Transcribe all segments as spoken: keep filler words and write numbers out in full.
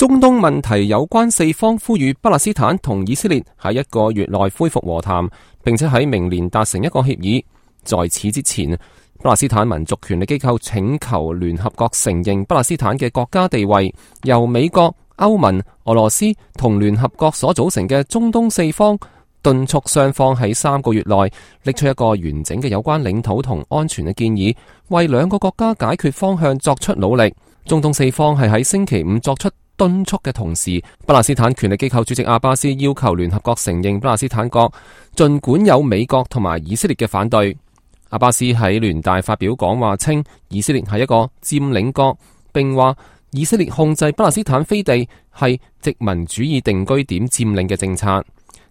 中東問題有關四方呼籲巴勒斯坦同以色列喺一個月內恢復和談，並且喺明年達成一個協議。在此之前，巴勒斯坦民族權力機構請求聯合國承認巴勒斯坦嘅國家地位，由美國、歐盟、俄羅斯同聯合國所組成嘅中東四方敦促雙方喺三個月內拎出一個完整嘅有關領土同安全嘅建議，為兩個國家解決方向作出努力。中東四方係喺星期五作出敦促嘅同時，巴勒斯坦權力機構主席阿巴斯要求聯合國承認巴勒斯坦國，儘管有美國同埋以色列嘅反對。阿巴斯喺聯大發表講話稱，以色列係一個佔領國，並話以色列控制巴勒斯坦飛地係殖民主義定居點佔領嘅政策。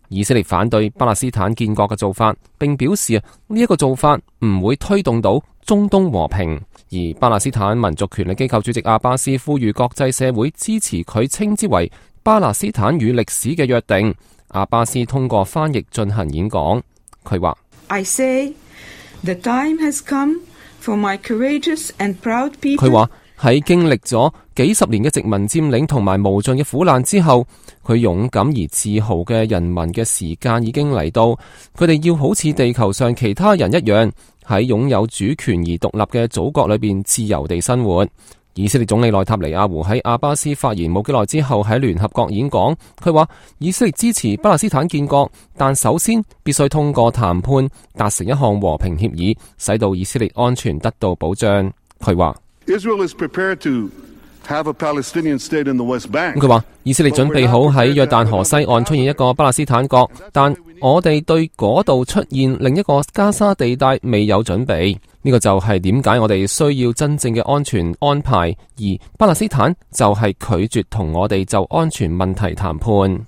以色列反對巴勒斯坦建國嘅做法，並表示啊，呢一個做法唔會推動到中東和平。而巴勒斯坦民族權力機構主席阿巴斯呼籲國際社會支持佢稱之為巴勒斯坦與歷史嘅約定。阿巴斯通過翻譯進行演講，佢話：I say the time has come for my courageous and proud people。佢話喺經歷咗幾十年嘅殖民佔領同埋無盡嘅苦難之後，佢勇敢而自豪嘅人民嘅時間已經嚟到，佢哋要好似地球上其他人一樣，喺擁有主權而獨立嘅祖國裏邊自由地生活。以色列總理內塔尼亞胡喺阿巴斯發言冇幾耐之後喺聯合國演講，佢話以色列支持巴勒斯坦建國，但首先必須通過談判達成一項和平協議，使到以色列安全得到保障。佢話Israel is prepared to have a Palestinian state in the West Bank。佢話以色列準備好喺約旦河西岸出現一個巴勒斯坦國，但我哋對嗰度出現另一個加沙地帶未有準備。呢個就係點解我哋需要真正嘅安全安排，而巴勒斯坦就係拒絕同我哋就安全問題談判。